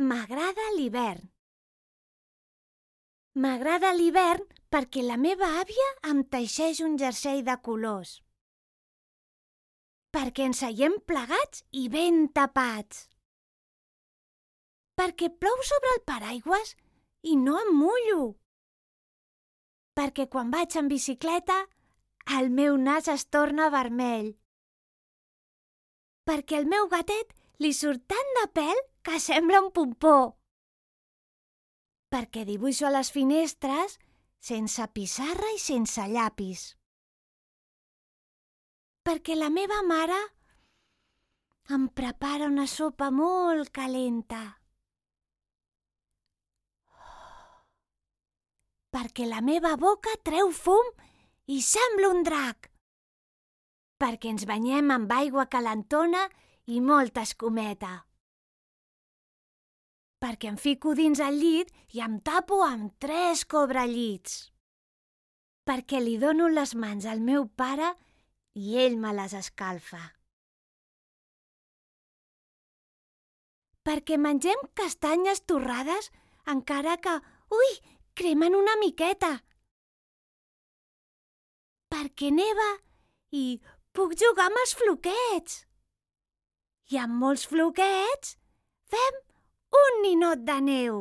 M'agrada l'hivern. M'agrada l'hivern perquè la meva àvia em teixeix un jersei de colors. Perquè ens seiem plegats i ben tapats. Perquè plou sobre el paraigües i no em mullo. Perquè quan vaig en bicicleta el meu nas es torna vermell. Perquè al meu gatet li surt tant de pèl que sembla un pompó. Perquè dibuixo a les finestres sense pissarra i sense llapis. Perquè la meva mare em prepara una sopa molt calenta. Perquè la meva boca treu fum i sembla un drac. Perquè ens banyem amb aigua calentona i molta escumeta. Perquè em fico dins el llit i em tapo amb 3 cobrellits. Perquè li dono les mans al meu pare i ell me les escalfa. Perquè mengem castanyes torrades encara que, cremen una miqueta. Perquè neva i puc jugar amb els floquets. I amb molts floquets fem un ninot de neu.